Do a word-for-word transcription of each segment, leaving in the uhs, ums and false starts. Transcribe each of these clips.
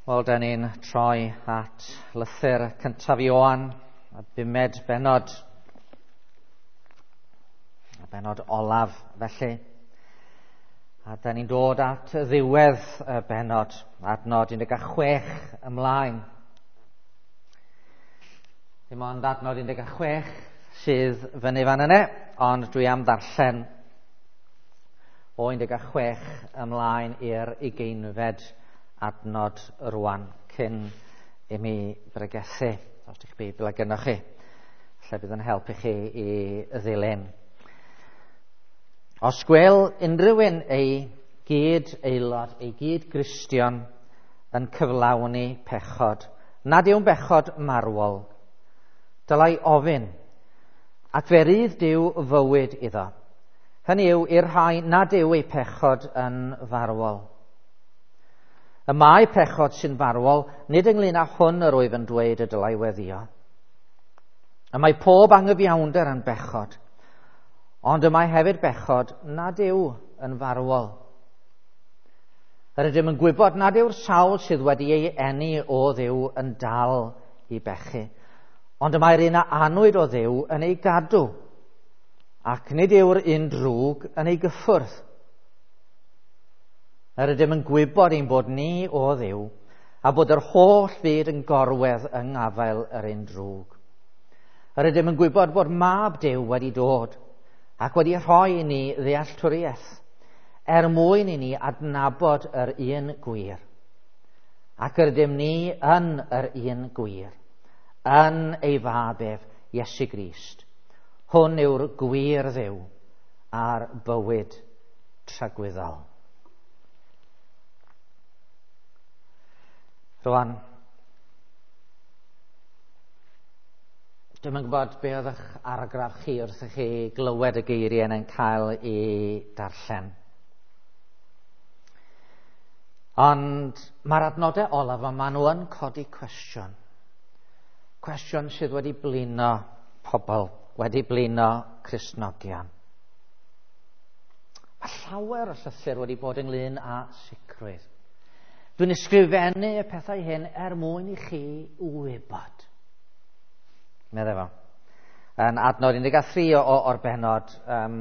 Wel, da ni'n troi at lythyr cyntaf Ioan, y bumed bennod, y bennod olaf felly. A da ni'n dod at ddiwedd y bennod, adnod un deg chwech ymlaen. Dim ond adnod un deg chwech sydd fyny fan yna, ond dwi am ddarllen o un deg chwech ymlaen i'r ugeinfed adnod rwan cyn i mi bregethu. Os ydych Beibl ag gynnwch chi, lle bydd yn helpu chi i ddilyn. Os gwel unrhyw un ei gyd aelod, ei gyd Gristion yn cyflawni pechod, nad yw'n bechod marwol, dylai ofyn, ac fe rydd Duw fywyd iddo. Hynny yw i'r rhai nad yw ei pechod yn farwol. Y mae pechod sy'n farwol, nid ynglyn â hwn yr wyf yn dweud y dylai weddio. Y mae pob angyfiawnder yn bechod, ond y mae hefyd bechod nad yw yn farwol. Yr ydym yn gwybod nad yw'r sawl sydd wedi ei eni o Dduw yn dal i bechu, ond y mae'r un a anwyd o Dduw yn ei gadw, ac nid yw'r un drwg yn ei gyffwrdd. Yr ydym yn gwybod ein bod ni o Dduw, a bod yr holl fyd yn gorwedd yng ngafael yr un drwg. Yr ydym yn gwybod bod Mab Duw wedi dod ac wedi rhoi i ni ddealltwriaeth, er mwyn i ni adnabod yr un gwir. Ac yr ydym ni yn yr un gwir, yn ei fab ef, Iesu Grist. Hwn yw'r gwir Dduw a'r bywyd tragwyddol. Rwan, dwi'm yn gwybod be oedd eich argraff chi wrth i chi glywed y geiriau yn cael ei darllen. Ond mae'r adnodau olaf yma, maen nhw yn codi cwestiwn. Cwestiwn sydd wedi blino pobl, wedi blino Cristnogion. Mae llawer o llythyr wedi bod ynglyn â sicrwydd. Dwi'n ysgrifennu y pethau hyn er mwyn i chi wybod. Meddai fo. Yn adnod un deg tri o, o'r bennod, um,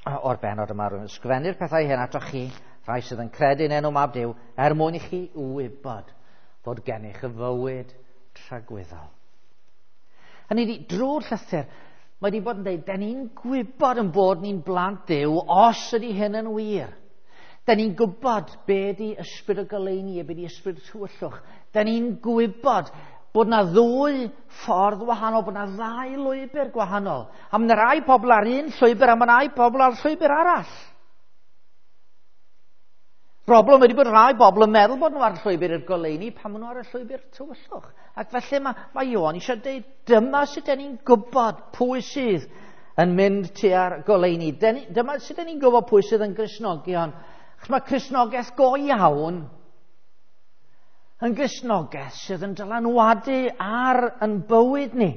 o'r bennod yma, rwy'n ysgrifennu'r pethau hyn atoch chi, rhai sydd yn credu yn enw Mab Duw, er mwyn i chi wybod fod gennych y fywyd tragwyddol. Hynny ydi, drwy'r llythyr, mae wedi bod yn dweud, da ni'n gwybod yn bod ni'n blant Duw os ydy hyn yn wir. Da ni'n gwybod be di ysbryd y goleuni a be di ysbryd y tywyllwch. Da ni'n gwybod bod na ddwy ffordd wahanol, bod na ddau lwybr gwahanol. A mae yna rai pobl ar un llwybr a mae yna rai pobl ar llwybr arall. Problem ydy bod rai bobl yn meddwl bod nhw ar llwybr i'r goleuni pan maen nhw ar y llwybr tywyllwch. Ac felly mae, mae Ioan eisiau dweud, dyma sut da ni'n gwybod pwy sydd yn mynd tua'r goleuni. Dyma sut da ni'n gwybod pwy sydd yn Gristnogion. Achos mae Cristnogaeth go iawn yn Gristnogaeth sydd yn dylanwadu ar yn bywyd ni.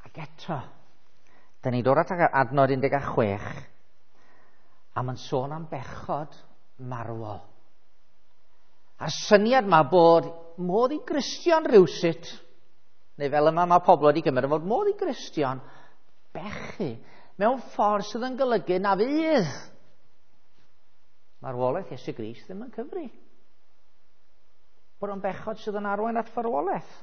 Ac eto, da ni'n dod at adnod un deg chwech, a mae'n sôn am bechod marwol. A'r syniad ma bod modd i Gristion rywsut, neu fel yma mae pobl wedi gymryd fod modd i Gristion bechu mewn ffordd sydd yn golygu na fydd marwolaeth Iesu Grist ddim yn cyfri. Bod o'n bechod sydd yn arwain at farwolaeth.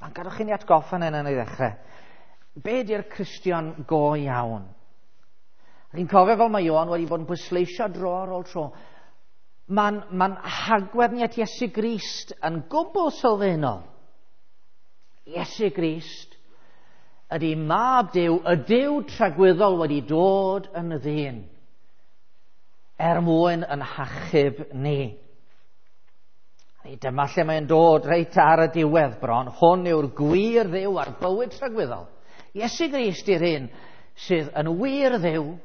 Mae'n gadwch i ni atgoffa yn yn ei ddechrau. Be di'r Cristion go iawn? Chi'n cofio fel mae Ioan wedi bod yn pwysleisio dro ar ôl tro. Mae'n ma hagwedd ni at Iesu Grist yn gwbl sylfaenol. Iesu Grist ydy Mab Duw, y Duw tragwyddol wedi dod yn ddyn, er mwyn yn hachub ni. Dyma lle mae'n dod reit ar y diwedd bron. Hwn yw'r gwir Dduw a'r bywyd tragwyddol. Iesu Grist yw'r un sydd yn wir Dduw,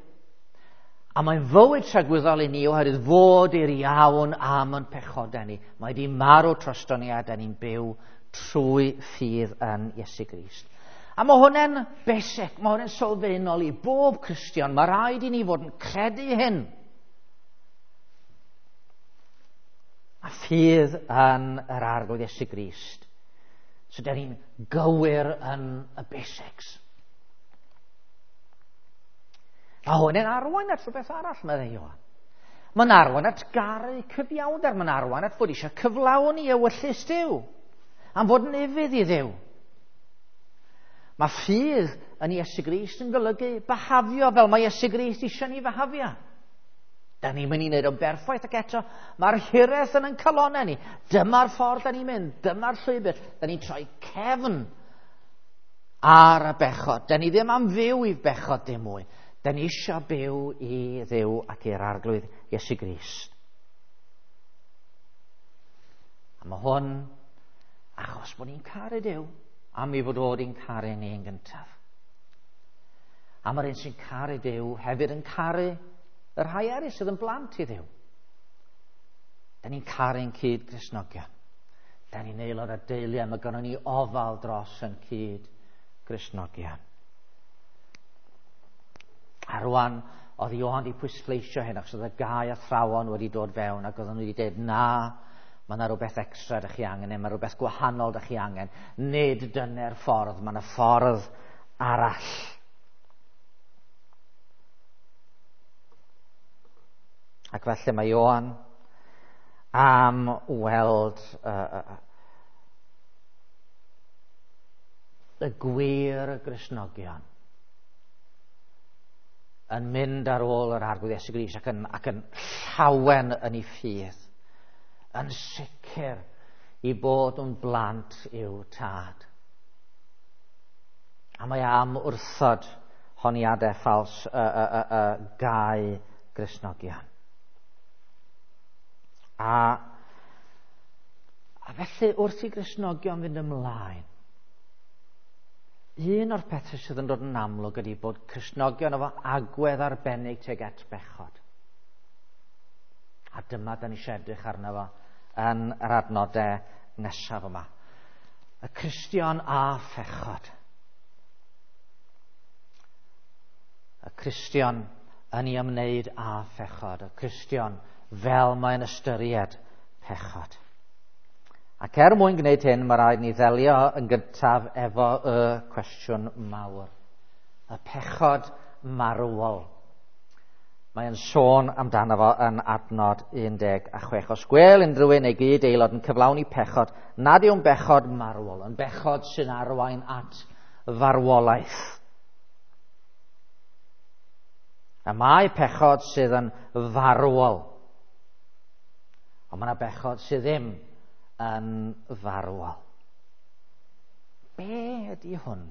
a mae'n fywyd tragwyddol i ni oherwydd fod i'r iawn am yn pechodau ni. Mae wedi marw drosto ni a da ni'n byw trwy ffydd yn Iesu Grist. A mae hwnna'n basic, mae hwnna'n sylfaenol i bob Cristion. Mae rhaid i ni fod yn credu hyn. A ffydd yn yr Arglwydd Iesu Grist. So, da ni'n gywir yn y basics. Mae hwn yn arwain at rhywbeth arall, meddai Ioan. Mae'n arwain at garu cyfiawnder, mae'n arwain at fod eisiau cyflawni ewyllys Duw, am fod yn ufudd i Dduw. Mae ffydd yn Iesu Grist yn golygu byhafio fel mae Iesu Grist eisiau ni fyhafio. Da ni'n mynd i wneud o'n berffaith ac eto mae'r hiraeth yn ein calonnau ni. Dyma'r ffordd da ni'n mynd, dyma'r llwybr. Da ni'n troi cefn ar y bechod. Da ni ddim am fyw i bechod dim mwy. Da ni eisiau byw i Dduw ac i'r Arglwydd Iesu Grist. A mae hwn achos bod ni'n caru Duw, am ei fod o wedi'n caru ni yn gyntaf. A mae'r un sy'n caru Duw hefyd yn caru y rhai eraill sydd yn blant i Dduw. Da ni'n caru'n cyd Gristnogion. Da ni'n aelod o deulu a mae gynnon ni ofal dros yn cyd Gristnogion. A rwan, oedd Ioan wedi pwysleisio hyn, achos oedd y gau athrawon wedi dod fewn ac oedden nhw wedi dweud, na, mae yna rhywbeth extra ydych chi angen, neu mae rhywbeth gwahanol ydych chi angen. Nid dyna'r ffordd, mae yna ffordd arall. Ac felly mae Ioan am weld uh, uh, y gwir Gristnogion yn mynd ar ôl yr Arglwydd Iesu Grist ac yn, ac yn llawen yn ei ffydd, yn sicr i bod yn blant i'w tad. A mae am wrthod honiadau ffals y, y, y, y gau Gristnogion. A, a felly wrth i Gristnogion fynd ymlaen, un o'r pethau sydd yn dod yn amlwg ydy bod Cristnogion efo agwedd arbennig tuag at bechod. A dyma da ni eisiau edrych arno fo yn yr adnodau nesaf yma. Y Cristion a phechod. Y Cristion yn ei ymwneud â phechod. Y Cristion fel mae'n ystyried pechod. Ac er mwyn gwneud hyn, mae rhaid ni ddelio yn gyntaf efo y cwestiwn mawr. Y pechod marwol. Mae'n sôn amdano fo yn adnod un deg chwech. Os gwel unrhyw un neu gyd aelod yn cyflawni pechod, nad yw'n bechod marwol, yn bechod sy'n arwain at farwolaeth. A mae pechod sydd yn farwol. Ond mae yna bechod sydd ddim yn farwol. Be ydy hwn?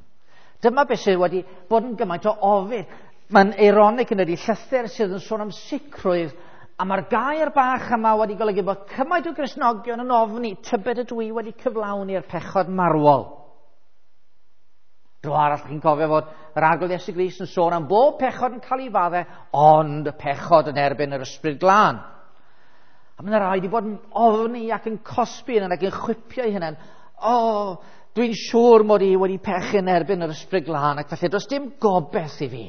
Dyma beth sydd wedi bod yn gymaint o ofid. Mae'n eironig yn ydy llythyr sydd yn sôn am sicrwydd, a mae'r gair bach yma wedi golygu bod cymaint o Gristnogion yn ofni tybed ydw i wedi cyflawni'r pechod marwol. Dro arall chi'n cofio fod yr Arglwydd Iesu Grist yn sôn am bob pechod yn cael ei faddau, ond y pechod yn erbyn yr Ysbryd Glân. A mae'n rhaid i bod yn ofni ac yn cosbi yn ac yn chwipio ei hunain. O, dwi'n siŵr mod i wedi pechu yn erbyn yr Ysbryd Glân, ac felly does dim gobaith i fi.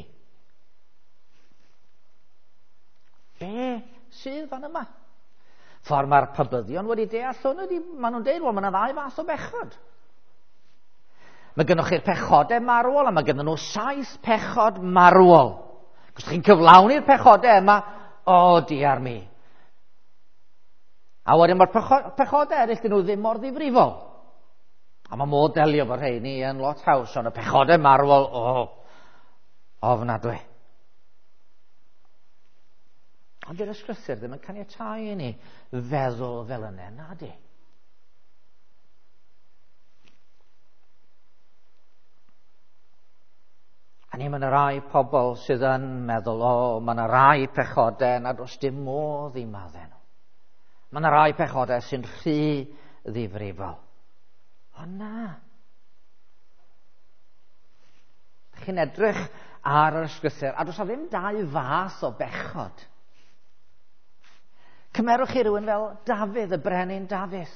Be sydd fan yma? Ffordd mae'r pabyddion wedi deall hwn ydy, maen nhw'n deud, wel, mae yna ddau fath o bechod. Mae gennych chi'r pechodau marwol, a mae gennym nhw saith pechod marwol. Os chi'n cyflawni'r pechodau yma, o, diar mi. A wedyn mae'r pechodau eraill, dyn nhw ddim mor ddifrifol. A mae modd delio efo rheini yn lot haws, ond y pechodau marwol, o, ofnadwy. Ond dy'r ysgrythur ddim yn caniatáu i ni feddwl fel yna, na di. A ni, mae yna rai pobl sydd yn meddwl, o, mae yna rai pechodau nad oes dim modd i maddau nhw. Mae yna rai pechodau sy'n rhy ddifrifol. O na. Chi'n edrych ar yr ysgrythur, a does 'na ddim dau fath o bechod. Cymerwch chi rhywun fel Dafydd, y brenin Dafydd.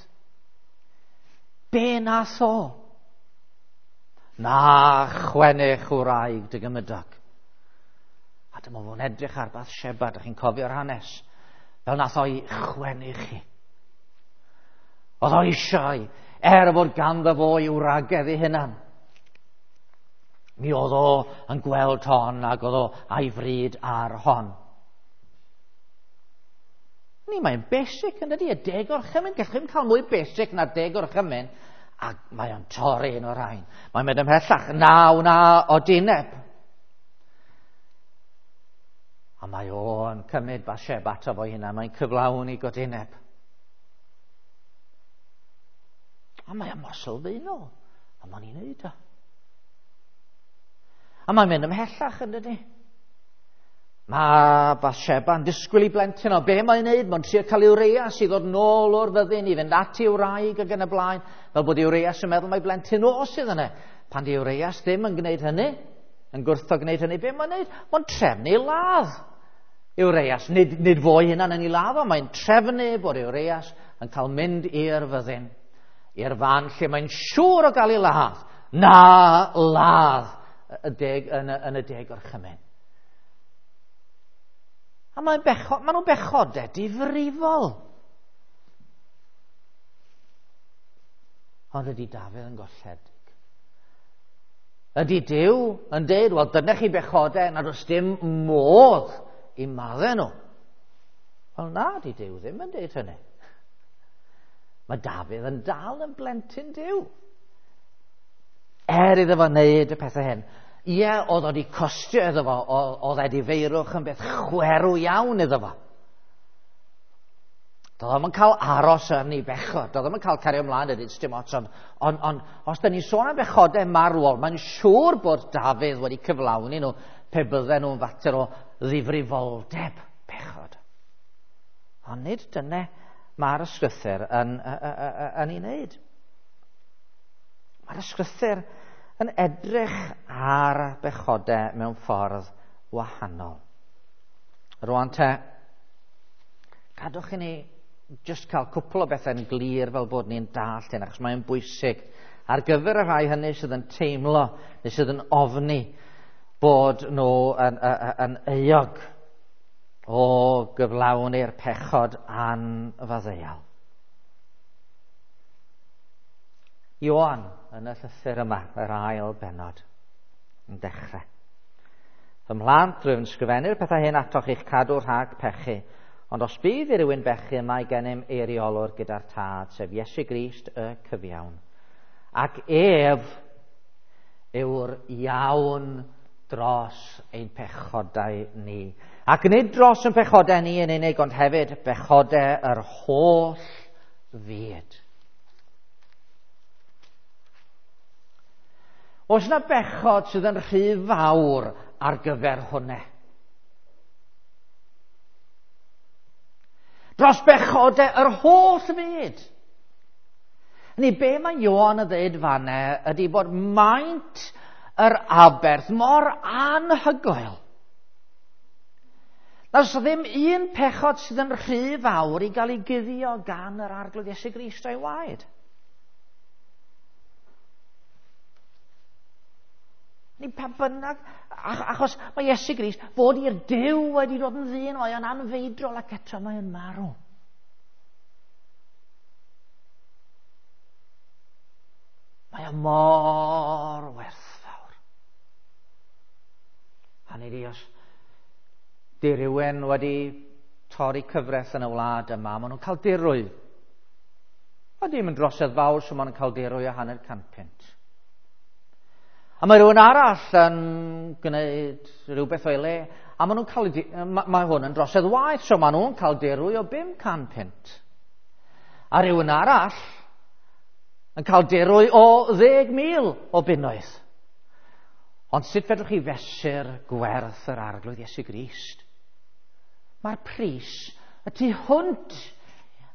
Be nath o? Na chwennych wraig dy gymydog. A dyma fo'n edrych ar Bathsheba, dych chi'n cofio'r hanes, fel nath o'i chwennych hi. Oedd o eisiau, er fod ganddo fo i'w wragedd ei hunan. Mi oedd o yn gweld hon ac oedd o a'i fryd ar hon. Ni, mae'n basic yn dydi, y deg orchymyn. Gallwch chi'm cael mwy basic na'r deg orchymyn. A mae o'n torri un o'r rhain. Mae'n mynd ymhellach, na wna odineb. A mae o'n cymryd Bathsheba ato fo'i hunan, mae'n cyflawni godineb. A mae o'n mor sylfaenol, a mae'n ei wneud o. A mae'n mynd ymhellach yn dydi. Mae Bathsheba yn disgwyl i blentyn o be mae'n wneud, mae'n trio cael Urias i ddod nôl o'r fyddin, i fynd at ei wraig ac yn y blaen, fel bod Urias yn meddwl mai blentyn o sydd yna. Pan di Urias ddim yn gwneud hynny, yn gwrthod gwneud hynny, be mae'n wneud? Mae'n trefnu ladd Urias. Nid, nid fo ei hunan yn ei ladd o, mae'n trefnu bod Urias yn cael mynd i'r fyddin, i'r fan lle mae'n siŵr o gael ei ladd. Na ladd y deg, yn, y, yn y deg orchymyn. A mae'n bechod, maen nhw'n bechodau difrifol. Ond ydy Dafydd yn golledig? Ydy Duw yn deud, wel dyna chi bechodau nad oes dim modd i maddau nhw? Wel na, di Duw ddim yn deud hynny. Mae Dafydd yn dal yn blentyn Duw. Er iddo fo wneud y pethau hyn. Ie, oedd o wedi costio iddo fo, oedd edifeirwch yn beth chwerw iawn iddo fo. Doedd o'm yn cael aros yn ei bechod, doedd o'm yn cael cario ymlaen ydy, dim ots, ond on, on, os da ni'n sôn am bechodau marwol, mae'n siŵr bod Dafydd wedi cyflawni nhw pe bydden nhw'n fater o ddifrifoldeb bechod. Ond nid dyna mae'r ysgrythur yn, yn, yn ei wneud. Mae'r ysgrythur yn edrych ar bechodau mewn ffordd wahanol. Rwan te, cadwch i ni jyst cael cwpl o bethau'n glir fel bod ni'n dallt hyn, achos mae'n bwysig ar gyfer y rhai hynny sydd yn teimlo neu sydd yn ofni bod nhw yn, yn, yn euog o gyflawni'r pechod anfaddeuol. Ioan yn y llythyr yma, yr ail bennod, yn dechrau. Fy mhlant, rwyf yn sgrifennu'r pethau hyn atoch i'ch cadw rhag pechu, ond os bydd i rywun bechu, mae gennym eiriolwr gyda'r Tad, sef Iesu Grist y cyfiawn. Ac ef yw'r iawn dros ein pechodau ni. Ac nid dros ein pechodau ni yn unig, ond hefyd bechodau yr holl fyd. Oes yna bechod sydd yn rhy fawr ar gyfer hwnna? Dros bechodau yr holl fyd. Ni be mae Ioan yn dweud fanna ydy bod maint yr aberth mor anhygoel. Na oes ddim un pechod sydd yn rhy fawr i gael ei guddio gan yr Arglwydd Iesu Grist a'i waed. Ni pa bynnag, achos mae Iesu Grist fod i'r Duw wedi dod yn ddyn, mae o'n anfeidrol ac eto mae o'n marw. Mae o mor werthfawr. A ni di os di rhywun wedi torri cyfraith yn y wlad yma, maen nhw'n cael dirwy. A dim yn drosedd fawr, so maen nhw'n cael dirwy o hanner can punt. A mae rhywun arall yn gwneud rhywbeth o'i le, a maen nhw'n cael, mae hwn yn drosedd waeth, so maen nhw'n cael dirwy o bum can punt. A rhywun arall yn cael dirwy o ddeg mil o bunnoedd. Ond sut fedrwch chi fesur gwerth yr Arglwydd Iesu Grist? Mae'r pris y tu hwnt.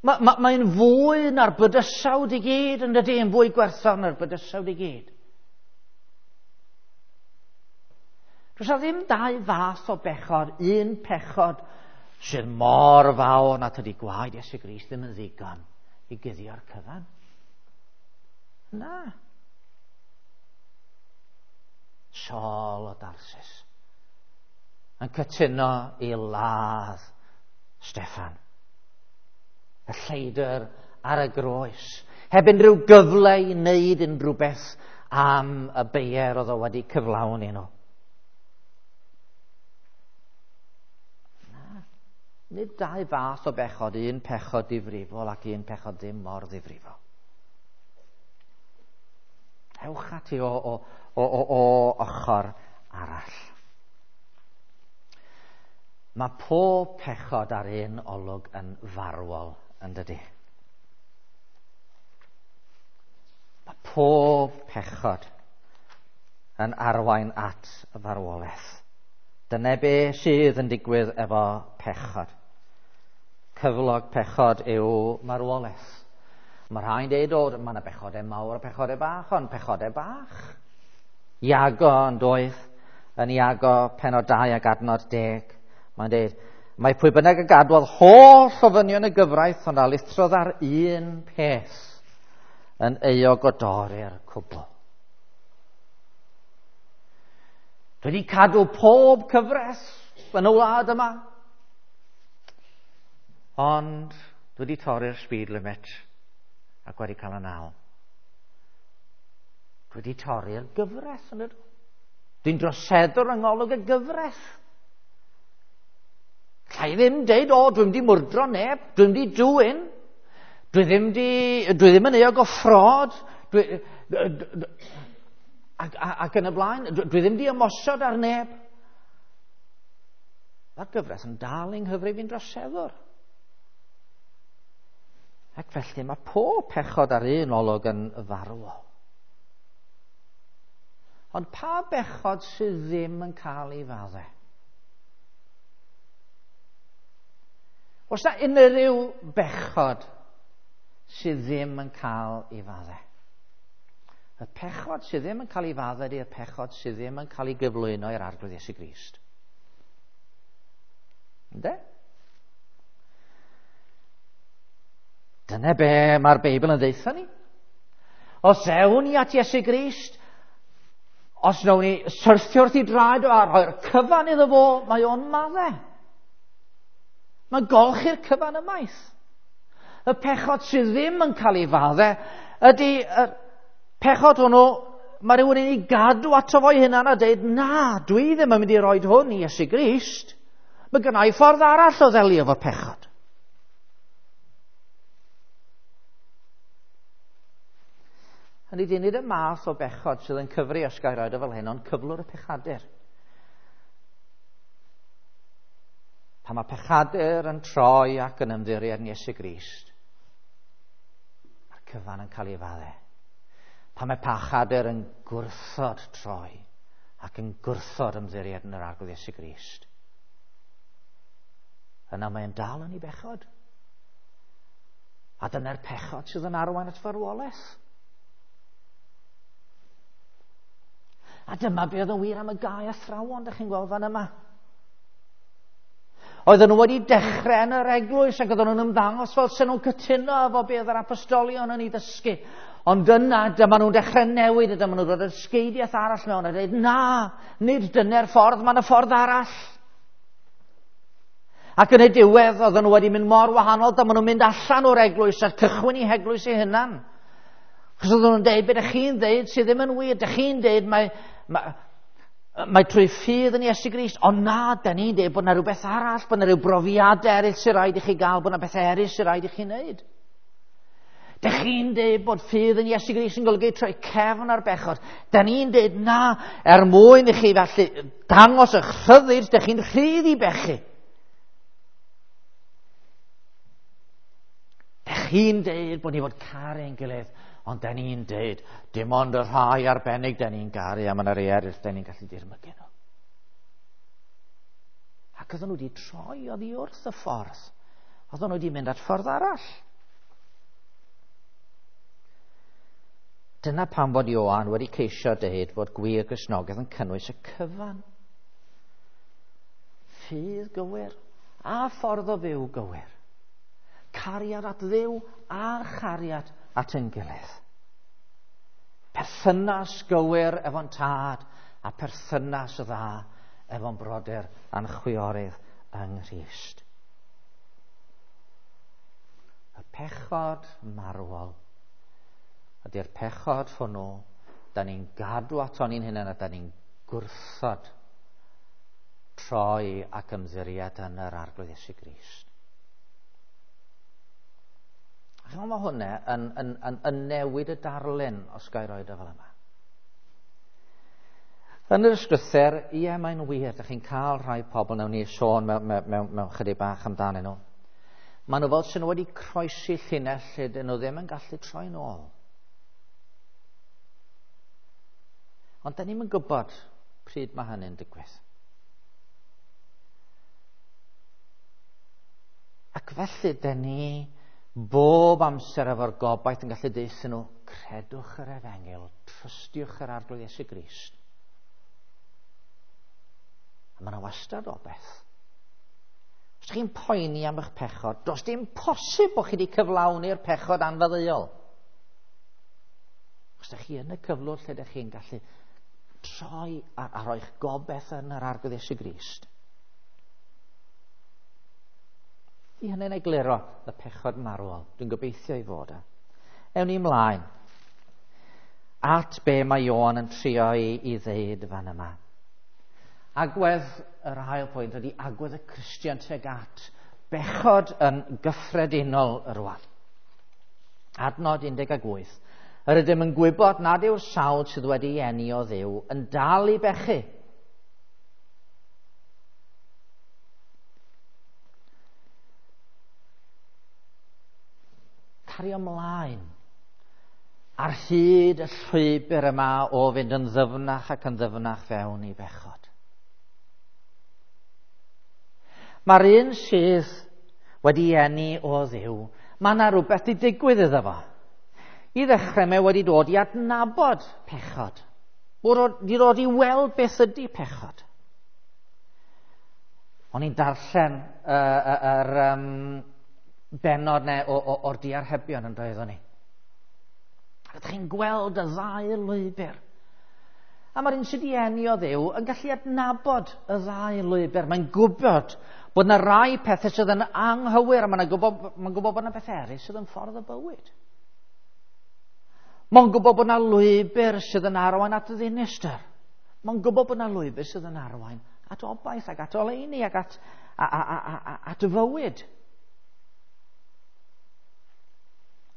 Mae, ma, mae'n fwy na'r bydysawd i gyd, yn dydy, yn fwy gwerthfawr na'r bydysawd i gyd. Does 'na ddim dau fath o bechod, un pechod sydd mor fawr na tydi gwaed Iesu Grist ddim yn ddigon i guddio'r cyfan. Na. Saul o Darsis yn cytuno i ladd Steffan. Y lleidr ar y groes. Heb unrhyw gyfle i wneud unrhyw beth am y beier oedd o wedi cyflawni nhw. Na, nid dau fath o bechod, un pechod difrifol ac un pechod ddim mor ddifrifol. Ewch ati o, o, o, o, o ochr arall. Mae pob pechod ar un olwg yn farwol, yn dydy? Mae pob pechod yn arwain at farwolaeth. Dyna be sydd yn digwydd efo pechod. Cyflog pechod yw marwolaeth. Mae rhai'n deud, o, mae yna bechodau mawr a pechodau bach, ond pechodau bach. Iago yn doedd, yn Iago penod dau ac adnod deg. Mae'n deud, mae pwy bynnag y gadwodd holl ofynion y gyfraith, ond a lithrodd ar un peth yn euog o dorri'r cwbl. Dwi wedi cadw pob cyfres yn y wlad yma, ond dwi wedi torri'r speed limit ac wedi cael y naw. Dwi wedi torri'r gyfres yn ydw. Dwi'n droseddwr yng ngolwg y gyfres. Alla i ddim deud, o, dwi'n di mwrdro neb, dwi'n di dwyn, dwi ddim, di, dwi ddim yn euog o ffrod, dwi, ac, ac yn y blaen, dwi, dwi ddim di ymosod ar neb. Mae'r gyfres yn dal yng nghyfrif fi'n droseddwr. Ac felly mae pob pechod ar un olwg yn farwol. Ond pa bechod sydd ddim yn cael ei faddau? Oes na unrhyw bechod sydd ddim yn cael ei faddau? Y pechod sydd ddim yn cael ei faddau ydy'r pechod sydd ddim yn cael ei gyflwyno i'r Arglwydd Iesu Grist. Ynde? Dyna be mae'r Beibl yn ddeutha ni. Os ewn ni at Iesu Grist, os wnawn ni syrthio wrth ei draed o a rhoi'r cyfan iddo fo, mae o'n maddau. Mae'n golchi'r cyfan ymaith. Y pechod sydd ddim yn cael ei faddau ydy y pechod hwnnw, mae rhywun yn ei gadw ato fo'i hunan a dweud, na, dwi ddim yn mynd i roed hwn i Iesu Grist. Mae gynna i ffordd arall o ddelio efo'r pechod. Hynny ydy, nid y math o bechod sydd yn cyfri os gael roed o fel hyn, ond cyflwr y pechadur. Pan mae pechadur yn troi ac yn ymddiried yn Iesu Grist, mae'r cyfan yn cael ei faddau. Pan mae pechadur yn gwrthod troi ac yn gwrthod ymddiried yn yr Arglwydd Iesu Grist, yna mae'n dal yn ei bechod. A dyna'r pechod sydd yn arwain at farwolaeth. A dyma be oedd yn wir am y gau athrawon, dych chi'n gweld fan yma. Oedden nhw wedi dechrau yn yr eglwys ac oedden nhw'n ymddangos fel sy'n nhw'n cytuno efo be oedd yr apostolion yn ei ddysgu. Ond yna, dyma nhw'n dechrau newid a dyma nhw'n dod â dysgeidiaeth arall mewn a dweud, na, nid dyna'r ffordd, mae yna ffordd arall. Ac yn y diwedd, oedden nhw wedi mynd mor wahanol, dyma nhw'n mynd allan o'r eglwys a cychwyn eu heglwys eu hunan. Chos oedden nhw'n dweud, be ydych chi'n dweud sydd ddim yn wir, ydych chi'n dweud mae, mae, mae trwy ffydd yn Iesu Grist, ond na, da ni'n dweud bod yna rhywbeth arall, bod yna rhyw brofiadau eraill sy'n rhaid i chi gael, bod yna bethau eraill sy'n rhaid i chi wneud. Dych chi'n dweud bod ffydd yn Iesu Grist yn golygu troi cefn ar bechod. Da ni'n dweud na, er mwyn i chi felly dangos eich rhyddid, dych chi'n rhydd i bechu. Dych chi'n dweud bod ni fod caru ein gilydd, ond da ni'n dweud, dim ond y rhai arbennig da ni'n garu, a mae yna rhai eraill da ni'n gallu dirmygu nhw. Ac oedden nhw wedi troi oddi wrth y ffordd. Oedden nhw wedi mynd at ffordd arall. Dyna pam fod Ioan wedi ceisio deud fod gwir Gristnogaeth yn cynnwys y cyfan. Ffydd gywir a ffordd o fyw gywir. Cariad at Dduw a chariad at ein gilydd. Perthynas gywir efo'n tad a perthynas dda efo'n brodyr a'n chwiorydd yng Nghrist. Y pechod marwol ydy'r pechod hwnnw da ni'n gadw aton ni'n hunain a da ni'n gwrthod troi ac ymddiried yn yr Arglwydd Iesu Grist. A chymod, mae hwnna yn, yn, yn, yn newid y darlun, os ga i roed o fel yma. Yn yr ysgrythyr, ie, mae'n wir, ydych chi'n cael rhai pobl, nawn ni sôn mewn, mewn, mewn, mewn chydig bach amdanyn nhw. Maen nhw fel sy'n nhw wedi croesi llinell lle dyn nhw ddim yn gallu troi nôl. Ond da ni'm yn gwybod pryd mae hynny'n digwydd. Ac felly, da ni bob amser efo'r gobaith yn gallu deutha nhw, credwch yr efengyl, trystiwch yr Arglwydd Iesu Grist. A mae yna wastad obaith. Os chi'n poeni am eich pechod, does dim posib bod chi wedi cyflawni'r pechod anfaddeuol. Os ydych chi yn y cyflwr lle ydych chi'n gallu troi a, a roi'ch gobaith yn yr Arglwydd Iesu Grist. I hynny'n egluro y pechod marwol. Dwi'n gobeithio i fod e. Ewn ni ymlaen at be mae Ioan yn trio i, i ddeud fan yma. Agwedd yr ail pwynt ydy agwedd y Cristion tuag at bechod yn gyffredinol rwan. Adnod un deg wyth. Yr ydym yn gwybod nad yw'r sawl sydd wedi eni o Dduw yn dal i bechu. Cario ymlaen ar hyd y llwybr yma o fynd yn ddyfnach ac yn ddyfnach fewn i bechod. Mae'r un sydd wedi eni o Dduw, mae yna rhywbeth i digwydd iddo fo. I ddechrau mae wedi dod i adnabod pechod. Wedi dod i weld beth ydy pechod. O'n i'n darllen yr uh, um, bennod ne, o, o, o'r diarhebion yn doeddwn ni. Ac ydych chi'n gweld y ddau lwybr. A mae'r un sydd wedi eni o Dduw yn gallu adnabod y ddau lwybr. Mae'n gwybod bod yna rai pethau sydd yn anghywir, a mae'n gwybod, mae'n gwybod bod yna bethau eraill sydd yn ffordd o bywyd. Mae'n gwybod bod yna lwybr sydd yn arwain at ddinistr. Mae'n gwybod bod yna lwybr sydd yn arwain at obaith ac at oleuni ac at, a, a, a, a, at fywyd.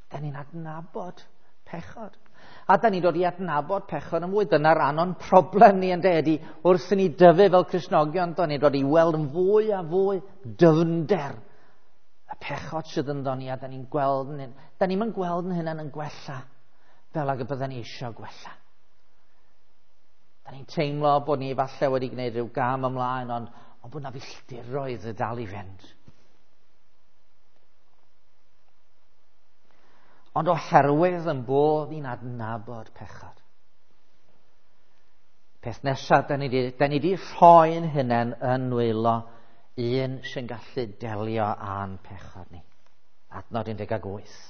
Da ni'n adnabod pechod. A da ni'n dod i adnabod pechod yn fwy. Dyna ran o'n problem ni yn de, wrth i ni dyfu fel Cristnogion, da ni'n dod i weld yn fwy a fwy dyfnder y pechod sydd ynddo ni, a da ni'n gweld, da ni'n yn gweld yn hynna'n yn gwella fel ag y bydden ni eisiau gwella. Da ni'n teimlo bod ni falle wedi gwneud rhyw gam ymlaen, ond, ond bod na filltiroedd y dal i fynd. Ond oherwydd yn bod ni'n adnabod pechod. Peth nesaf, da ni di, da ni di rhoi'n hunain yn nwylo un sy'n gallu delio â'n pechod ni. Adnod un deg wyth.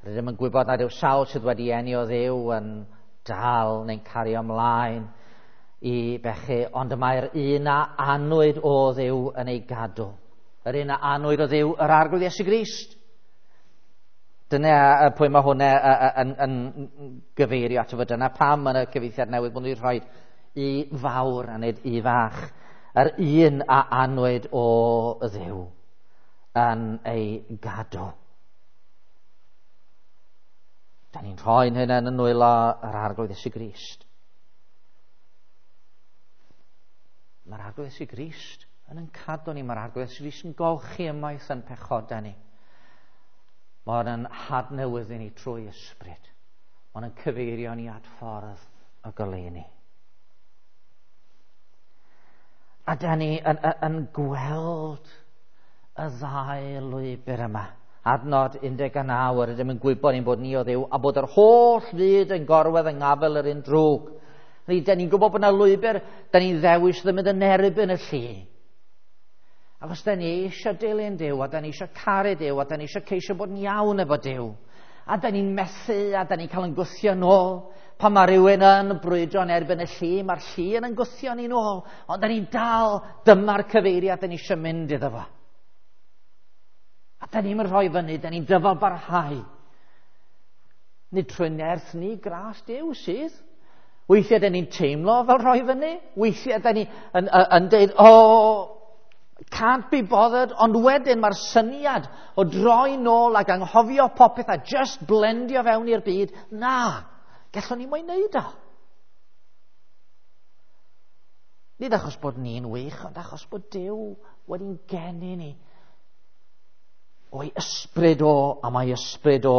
Rydym yn gwybod nad yw sawl sydd wedi eni o Dduw yn dal neu'n cario ymlaen i bechu, ond y mae'r un a anwyd o Dduw yn ei gadw. Yr un a anwyd o Dduw, yr Arglwydd Iesu Grist. Dyna pwy mae hwnna yn, yn, yn gyfeirio ato fo. Dyna pam yn y cyfieithiad newydd bod nhw'n rhoi i fawr a nid i fach. Yr un a anwyd o Dduw yn ei gadw. Da ni'n rhoi'n hynny yn nwylo yr Arglwydd Iesu Grist. Mae'r Arglwydd Iesu Grist yn yn cadw ni. Mae'r Arglwydd Iesu Grist yn golchi ymaith yn pechodau ni. Mae'n yn hadnewyddu ni trwy ysbryd. Mae'n yn cyfeirio ni at ffordd y goleuni. A da ni yn, yn, yn gweld y ddau lwybr yma. Adnod un deg naw, yr ydym yn gwybod ein bod ni o Dduw, a bod yr holl fyd yn gorwedd yng ngafel yr un drwg. Da ni'n gwybod bod yna lwybr, da ni'n ddewis ddim yn erbyn y llu. Ac os da ni eisiau dilyn Duw, a da ni eisiau caru Duw, a da ni eisiau ceisio bod yn iawn efo Duw, a da ni'n methu, a da ni'n cael yn gwthio nôl, Pan mae rhywun yn brwydro yn erbyn y llu, mae'r llu yn yn gwthio ni nôl, ond da ni'n dal, dyma'r cyfeiriad da ni eisiau mynd iddo fo. A da ni'n rhoi fyny, da ni'n dyfal barhau. Nid trwy nerth ni, gras Duw sydd. Weithiau da ni'n teimlo fel rhoi fyny. Weithiau da ni yn, yn, yn deud, oh, can't be bothered. Ond wedyn mae'r syniad o droi nôl ac anghofio popeth a just blendio fewn i'r byd, na, gallwn ni moyn neud o. Nid achos bod ni'n wych, ond achos bod Duw wedi'n geni ni o'i ysbryd o, a mae ysbryd o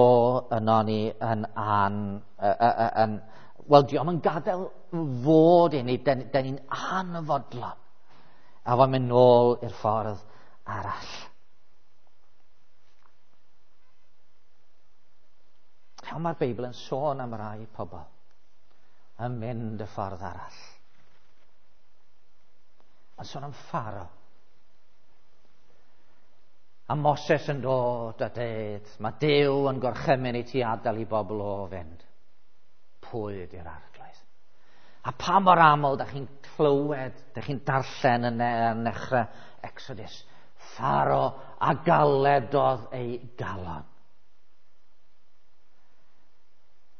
yno ni yn an, yn, wel, diolch yn gadael fod i ni, den, den ni'n anfodlon. A fo'n mynd nôl i'r ffordd arall. Iawn, mae'r Beibl yn sôn am rai pobl yn mynd y ffordd arall. Mae'n sôn am Pharaoh. A Moses yn dod a dweud, mae Duw yn gorchymyn i ti adael i bobl o fynd. Pwy ydy'r arglwydd? A pa mor aml da chi'n clywed, da chi'n darllen yn, yn nechrau Exodus, Pharaoh a galedodd ei galon.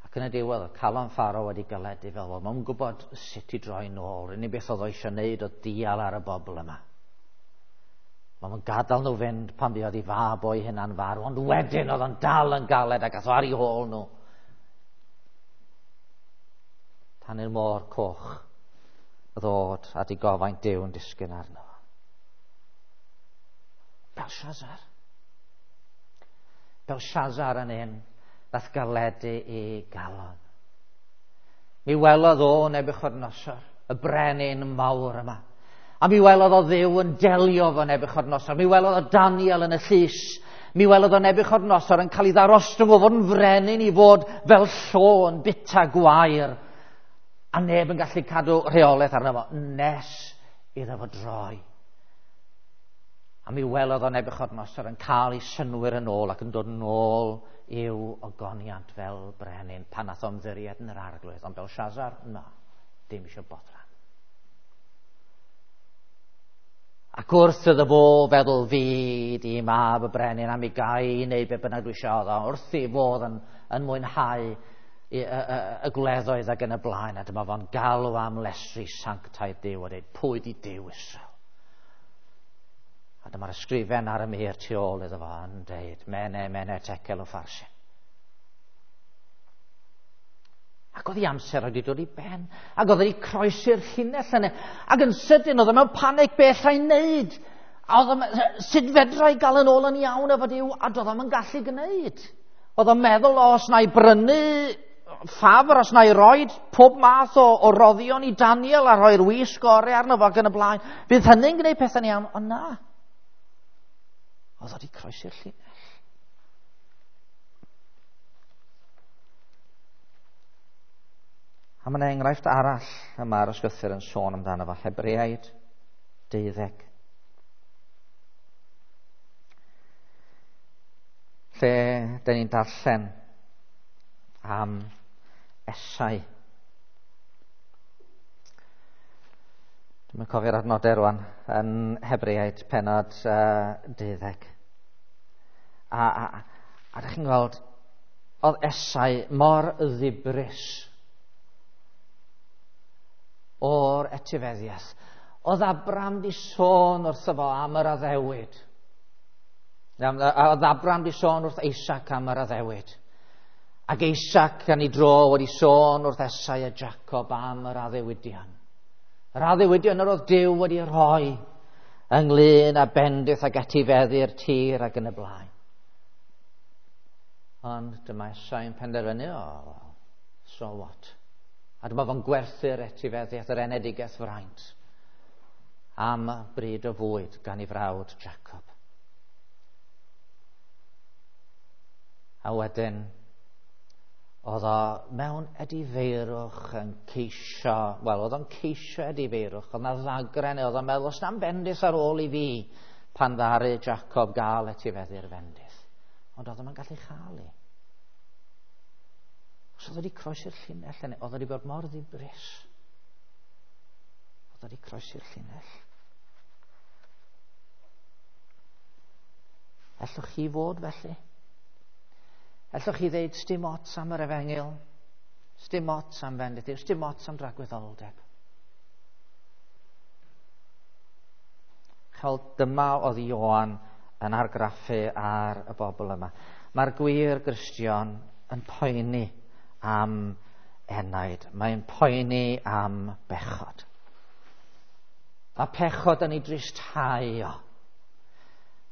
Ac yn y diwedd, oedd calon Pharaoh wedi galedu fel fo. Mae'n gwybod sut i droi nôl. Unig beth oedd o eisiau wneud oedd dial ar y bobl yma. Mae'n gadael nhw fynd pan fuodd ei fab o'i hunan farw, ond wedyn oedd o'n dal yn galed ac ath o ar ei hôl nhw. Tan i'r môr coch ddod a digofaint Duw yn disgyn arno. Belshazzar. Belshazzar yn un nath galedu ei galon. Mi welodd o Nebuchadnezzar, y brenin mawr yma. A mi welodd o Dduw yn delio fo Nebuchadnezzar. Mi welodd o Daniel yn y llys. Mi welodd o Nebuchadnezzar yn cael ei ddarostwng o fod yn frenin i fod fel llo yn bita gwair. A neb yn gallu cadw rheolaeth arno fo nes iddo fo droi. A mi welodd o Nebuchadnezzar yn cael ei synwyr yn ôl ac yn dod yn ôl i'w ogoniant fel brenin pan nath o ymddiried yn yr arglwydd. Ond Belshazzar, na, dim eisiau bothran. Ac wrth iddo fo feddwl fi di mab y brenin am i gai i wneud be bynnag dwi eisiau oedd o, wrth i fod yn, yn mwynhau y, y, y, y gwleddoedd ac yn y blaen, a dyma fo'n galw am lesri sanctaidd Duw a dweud, pwy di Duw Israel? A dyma'r ysgrifen ar y mur tu ôl iddo fo yn dweud, mene, mene, tekel o Pharsin. Ac oedd ei amser wedi dod i ben, ac oedd wedi croesi'r llinell yna, ac yn sydyn oedd o mewn panic beth allai wneud. A oedd o, sut fedra i gael yn ôl yn iawn efo Duw, a doedd o'm yn gallu gwneud. Oedd o'n meddwl, o, os na i brynu ffafr, os na i roed pob math o, o roddion i Daniel a rhoi'r wisg gorau arno fo ac yn y blaen, fydd hynny'n gwneud pethau'n iawn, ond na. Oedd o wedi croesi'r llinell. A mae yna enghraifft arall y mae'r ysgrythur yn sôn amdano fo, Hebreaid deuddeg. Lle dyn ni'n darllen am Esau. Dwi'n cofio'r adnodau rwan yn Hebreaid pennod uh, deuddeg. A, a, a ydych chi'n gweld, oedd Esau mor ddibris o'r etifeddiaeth. Oedd Abram di sôn wrtho fo am yr addewid. Oedd Abram di sôn wrth Isaac am yr addewid. Ac Isaac gan ei dro wedi sôn wrth Esau a Jacob am yr addewidion. Yr addewidion yr oedd Duw wedi rhoi ynglyn â bendith ac etifeddu'r tir ac yn y blaen. Ond dyma Esau yn penderfynu, oh, so what? A dyma fo'n gwerthu'r etifeddiaeth, yr enedigaeth fraint, am bryd o fwyd gan ei frawd Jacob. A wedyn, oedd o mewn edifeirwch yn ceisio, wel, oedd o'n ceisio edifeirwch, oedd na ddagren, oedd o'n meddwl, os na'n bendith ar ôl i fi, pan ddaru Jacob gael etifeddu'r fendith. Ond oedd o'n gallu chael i. Os oedd wedi croesi'r llinell, oedd wedi bod mor ddibris. Oedd wedi croesi'r llinell. Ellwch chi fod felly? Ellwch chi ddeud, sdim ots am yr efengyl, sdim ots am fendith Duw, sdim ots am dragwyddoldeb. Chel, dyma oedd Ioan yn argraffu ar y bobl yma. Mae'r gwir Gristion yn poeni am enaid. Mae'n poeni am bechod. Mae pechod yn ei dristhau o.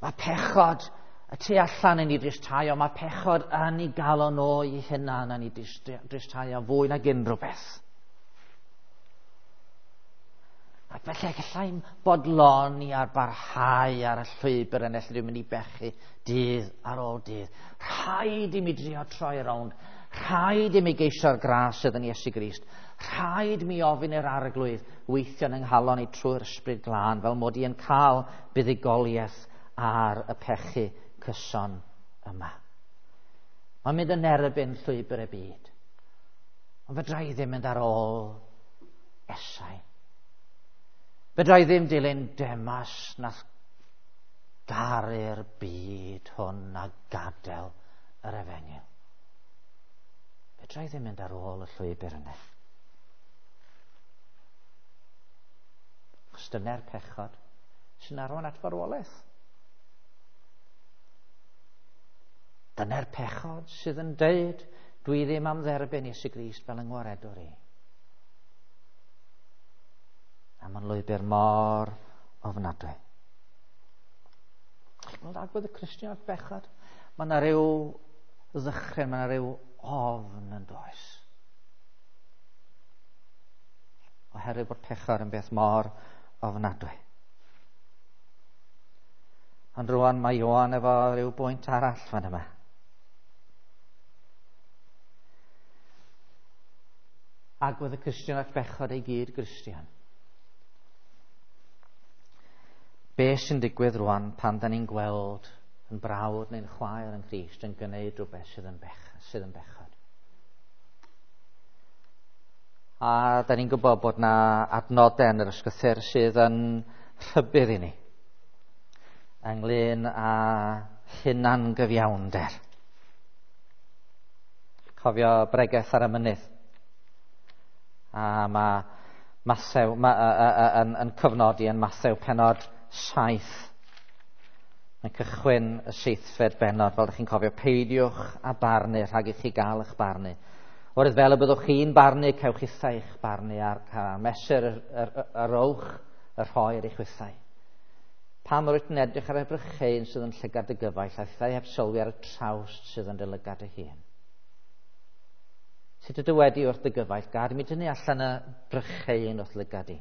Mae pechod y tu allan yn ei dristhau o. Mae pechod yn ei galon o ei hunan yn ei dristhau o fwy nag unrhyw beth. Ac felly gallai'm bodloni ar barhau ar y llwybr yn lle dwi'n mynd i bechu dydd ar ôl dydd. Rhaid i mi drio troi rownd. Rhaid i mi geisio'r gras sydd yn Iesu Grist. Rhaid mi ofyn i'r Arglwydd weithio yn nghalon i trwy'r Ysbryd Glân fel mod i yn cael buddugoliaeth ar y pechu cyson yma. Mae'n mynd yn erbyn llwybr y byd. Ond fedra i ddim mynd ar ôl Esau. Fedra i ddim dilyn Demas nath garu'r byd hwn a gadael yr efengyl. Fedra i ddim mynd ar ôl y llwybr yna. Achos dyna'r pechod sy'n arwain at farwolaeth. Dyna'r pechod sydd yn deud, dwi ddim am dderbyn Iesu Grist fel yng ngwaredwr i. A mae'n lwybr mor ofnadwy. Chi'n gweld agwedd y Cristion at bechod? Mae yna ryw ddychryn, mae yna ryw ofn yn does. Oherwydd bod pechod yn beth mor ofnadwy. Ond rwan mae Ioan efo ryw bwynt arall fan yma. Agwedd y Cristion at bechod ei gyd Gristion. Be sy'n digwydd rwan pan da ni'n gweld yn brawd neu'n chwaer yn Nghrist yn gwneud rhywbeth sydd yn, bech, sydd yn bechod? A da ni'n gwybod bod na adnodau yn yr ysgrythur sydd yn rhybudd i ni ynglyn â hunangyfiawnder. Cofio bregeth ar y mynydd. A mae Mathew ma, a, a, a, yn, yn cyfnodi yn Mathew pennod saith. Mae'n cychwyn y seithfed bennod, fel ydych chi'n cofio, peidiwch a barnu rhag i chi gael eich barnu. Oherwydd fel y byddwch chi'n barnu, cewch chithau eich barnu a'r mesur yr, yr, yr, yr owch y rhoi ar eich chwithau. Pam rwyt yn edrych ar y brycheuyn sydd yn llygad dy gyfaill, a thithau heb sylwi ar y trawst sydd yn dy lygad dy hun? Sut y dywedi wrth dy gyfaill, gad mi dynnu allan y brycheuyn wrth lygad i.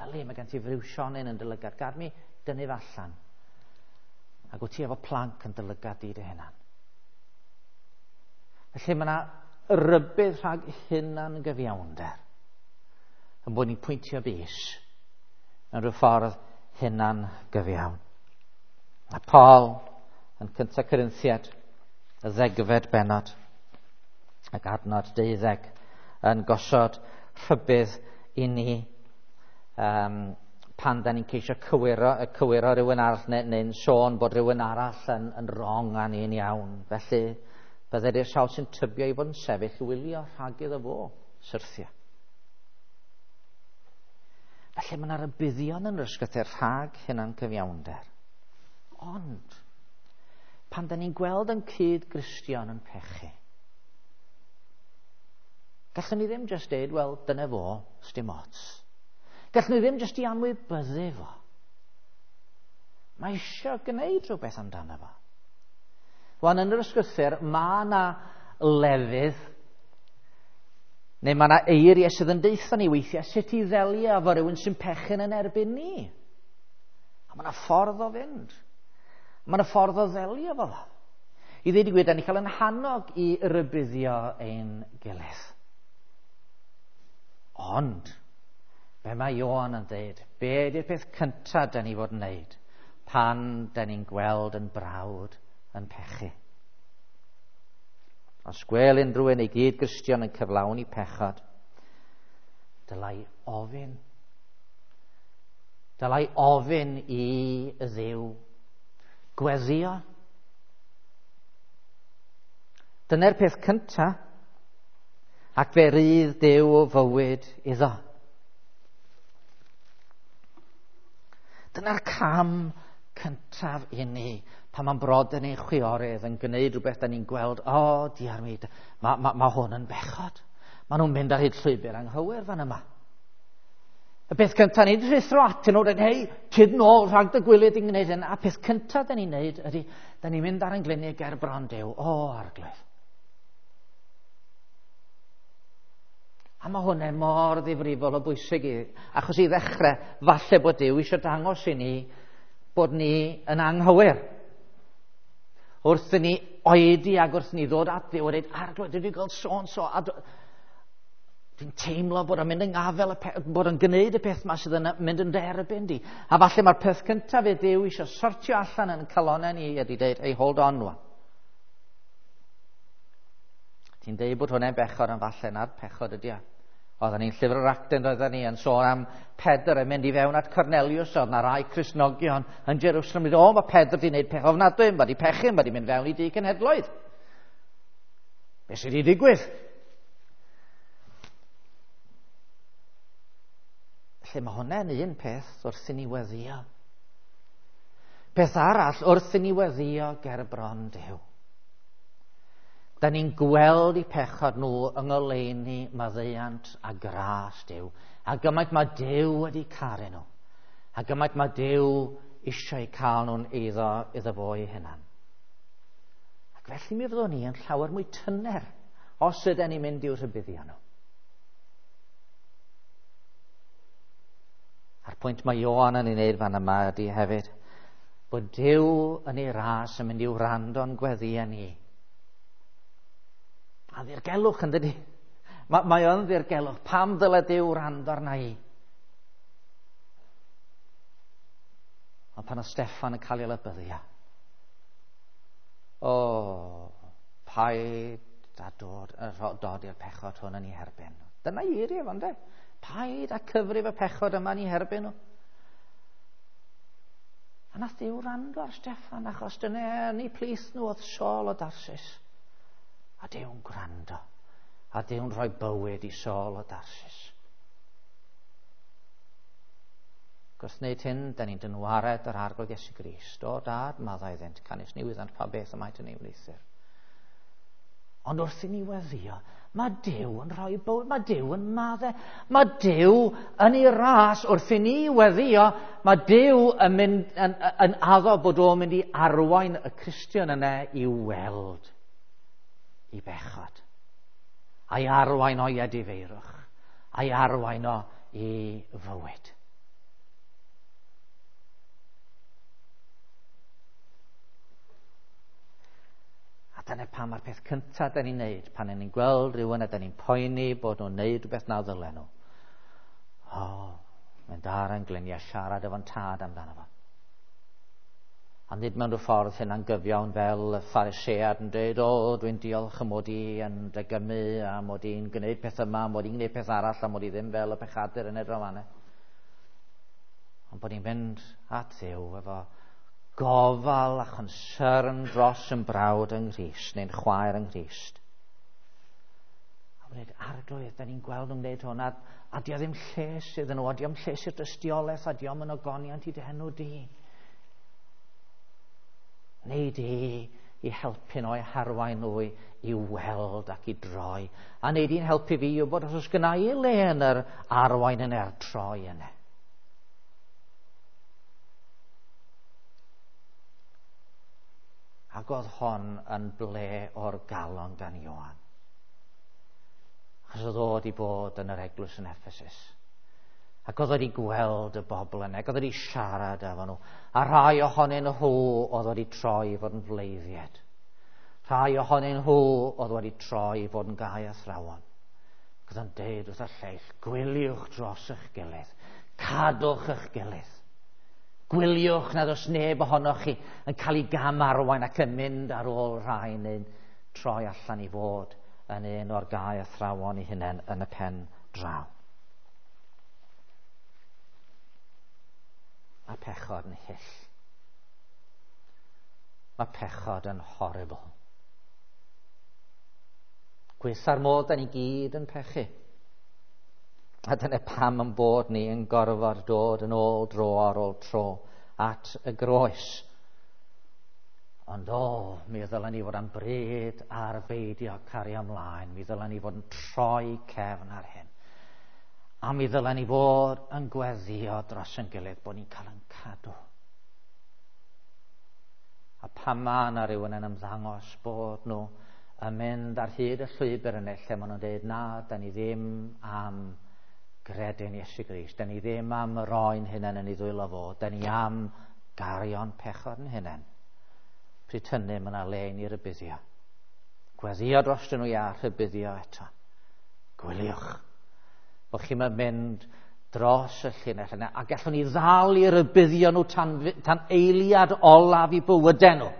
Yli, mae gen ti friwsionyn yn dy lygad, gad mi dynnu fe allan. Ac wyt ti efo planc yn dy lygad di dy hunan. Felly mae yna rybudd rhag hunan gyfiawnder yn bod ni'n pwyntio bys yn rhyw ffordd hunan gyfiawn. A Paul yn cyntaf Corinthiad, y ddegfed bennod ac adnod deuddeg yn gosod rhybudd i ni um, pan da ni'n ceisio cywiro, cywiro rhywun arall neu, neu'n sôn bod rhywun arall yn, yn wrong a ni'n iawn. Felly byddai'r i'r sawl sy'n tybio i fod yn sefyll wylio rhag iddo fo syrthio. Felly mae yna rybuddion yn yr ysgrythur rhag hunan cyfiawnder. Ond, pan da ni'n gweld yn cyd-Gristion yn pechu, gallwn ni ddim jyst deud, wel, dyna fo, sdim ots. Gallwn ni ddim jyst i anwybyddu fo. Mae eisiau gwneud rhywbeth amdano fo. Wan, yn yr ysgrythur, mae yna lefydd, neu mae yna eiriau sydd yn deutha ni weithiau sut i ddelio efo rhywun sy'n pechu'n yn erbyn ni. A mae yna ffordd o fynd. Mae yna ffordd o ddelio efo fo. I ddweud y gwir, da ni cael yn hannog i rybuddio ein gilydd. Ond, be mae Ioan yn dweud, be ydy'r peth cyntaf da ni fod yn wneud pan da ni'n gweld yn brawd yn pechu? Os gwel unrhyw un ei gyd-Gristion yn cyflawni pechod, dylai ofyn. Dylai ofyn i Dduw. Gweddio. Dyna'r peth cyntaf, ac fe rydd Duw o fywyd iddo. Dyna'r cam cyntaf i ni, pan mae'n brodyr neu'n chwiorydd yn gwneud rhywbeth da ni'n gweld, o, oh, diar mi, mae ma, ma hwn yn bechod. Maen nhw'n mynd ar hyd llwybr anghywir fan yma. Y peth cyntaf ni'n rhuthro atyn nhw, dweud, hei, tyd nôl rhag dy gwyliau di'n gwneud hyn. A peth cyntaf da ni'n neud ydy, da ni'n mynd ar ein gliniau ger bron Duw. O, Arglwydd. A mae hwnna mor ddifrifol o bwysig i, achos i ddechrau, falle bod Duw eisiau dangos i ni bod ni yn anghywir. Wrth i ni oedi ac wrth i ni ddod at Dduw a dweud, Arglwydd, dwi wedi gweld so and so, a dwi'n teimlo bod o'n mynd yng ngafel, bod o'n gwneud y peth yma sydd yn mynd yn derbyn di. A falle mae'r peth cyntaf i Dduw eisiau sortio allan yn calonau ni ydy dweud, hey, hold on rwan. Ti'n deud bod hwnna'n bechod, ond falle na'r pechod ydy o. Oedden ni'n llyfr yr Actau, oedden ni yn sôn am Pedr yn mynd i fewn at Cornelius, oedd na rai Cristnogion yn Jerusalem. O, mae Pedr wedi gwneud peth ofnadwy, mae wedi pechu, mae wedi mynd fewn i dŷ cenhedloedd. Be sydd wedi digwydd? Felly mae hwnna'n un peth wrth i ni weddio. Peth arall wrth i ni weddio ger bron Duw. Da ni'n gweld eu pechod nhw yng ngoleuni maddeuant a gras Duw. A gymaint mae Duw wedi caru nhw. A gymaint mae Duw eisiau cael nhw'n eiddo iddo fo ei hunan. Ac felly mi fyddwn ni yn llawer mwy tyner os ydyn ni'n mynd i'w rhybuddio nhw. A'r pwynt mae Ioan yn ei wneud fan yma ydy hefyd bod Duw yn ei ras yn mynd i'w wrando'n gweddïau ni. A ddirgelwch yn dydi? Mae, mae o'n ddirgelwch. Pam ddyle Duw wrando arna i? Ond pan oedd Steffan yn cael ei lybyddio, o, paid a dod, dod i'r pechod hwn yn ei herbyn. Dyna eiriau fo, ynde? Paid a cyfrif y pechod yma yn ei herbyn nhw. A nath Duw wrando ar Steffan, achos dyna yn ei plith nhw oedd Saul o Darsus. A Duw'n gwrando. A Duw'n rhoi bywyd i Saul o Darsus. Wrth wneud hyn, da ni'n dynwared yr Arglwydd Iesu Grist. O dad, maddau iddynt, canys ni wyddant pa beth y maent yn ei wneuthur. Ond wrth i ni weddio, mae Duw yn rhoi bywyd, mae Duw yn maddau, mae Duw yn ei ras wrth i ni weddio, mae Duw yn, mynd, yn, yn addo bod o'n mynd i arwain y Cristion yna i weld i bechod, a'i arwain o'i edifeirwch, a'i arwain o i fywyd. A dyna pam mae'r peth cyntaf da ni'n neud, pan ni'n gweld rhywun a da ni'n poeni bod nhw'n neud rhywbeth na ddylen nhw. O, mynd ar yn gliniau siarad efo'n tad amdano fo. A nid mewn rhyw ffordd hynna'n gyfiawn fel y Pharisead yn dweud, o, dwi'n diolch am mod i yn degymu, a mod i'n gwneud peth yma, mod i'n gwneud peth arall, a mod i ddim fel y pechadur yn edrych fan'na. Ond bod ni'n mynd at Dduw efo gofal a chonsern dros yn brawd yng Nghrist, neu'n chwaer yng Nghrist. A bod ni'n Arglwydd, da ni'n gweld nhw'n gwneud hwn, a, a dio ddim lles iddyn nhw, a dio ddim lles i'r dystiolaeth, a dio ddim yn ogoniant i dy henw di. Neu di i helpu nhw, i harwain nhw i, i weld ac i droi. A neu di'n helpu fi i wybod os oes gynna i le yn yr arwain yn yr troi yna. Ac oedd hon yn ble o'r galon gan Ioan. Achos oedd o wedi bod yn yr eglwys yn Ephesus. Ac oedd wedi gweld y bobl yna, ac oedd wedi siarad efo nhw. A rhai ohonyn nhw oedd wedi troi i fod yn fleiddied. Rhai ohonyn nhw oedd wedi troi i fod yn gau athrawon. Ac oedd yn deud wrth y lleill, gwyliwch dros eich gilydd, cadwch eich gilydd. Gwyliwch nad oes neb ohonoch chi yn cael ei gam arwain ac yn mynd ar ôl rhai neu troi allan i fod yn un o'r gau athrawon eu hunain yn y pen draw. Mae pechod yn hyll. Mae pechod yn horrible. Gweitha'r modd da ni gyd yn pechu. A dyna pam yn bod ni yn gorfod dod yn ôl dro ar ôl tro at y groes. Ond o, mi ddylen ni fod am bryd ar beidio cario ymlaen. Mi ddylen ni fod yn troi cefn ar hyn. A mi ddylen ni fod yn gweddio dros yn gilydd bod ni'n cael yn cadw. A pan mae yna rhywun yn ymddangos bod nhw yn mynd ar hyd y llwybr yna lle maen nhw'n dweud na, da ni ddim am gredu'n Iesu Grist, da ni ddim am roi'n hunain yn ei ddwylo fo, da ni am gario'n pechod yn hunain. Pryd hynny mae yna le i ni rybuddio. Gweddio dros nhw ia, rhybuddio eto. Gwyliwch bod chi'n mynd dros y llinell yna, a gallwn ni ddal i rybuddio nhw tan, tan eiliad olaf i bywydau nhw.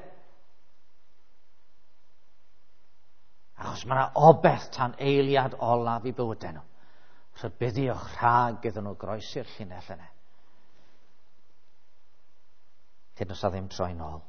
Achos mae yna obeth tan eiliad olaf i bywydau nhw. Rhybuddiwch rhag iddyn nhw groesi'r llinell yna. Hyd nos a ddim troi nôl.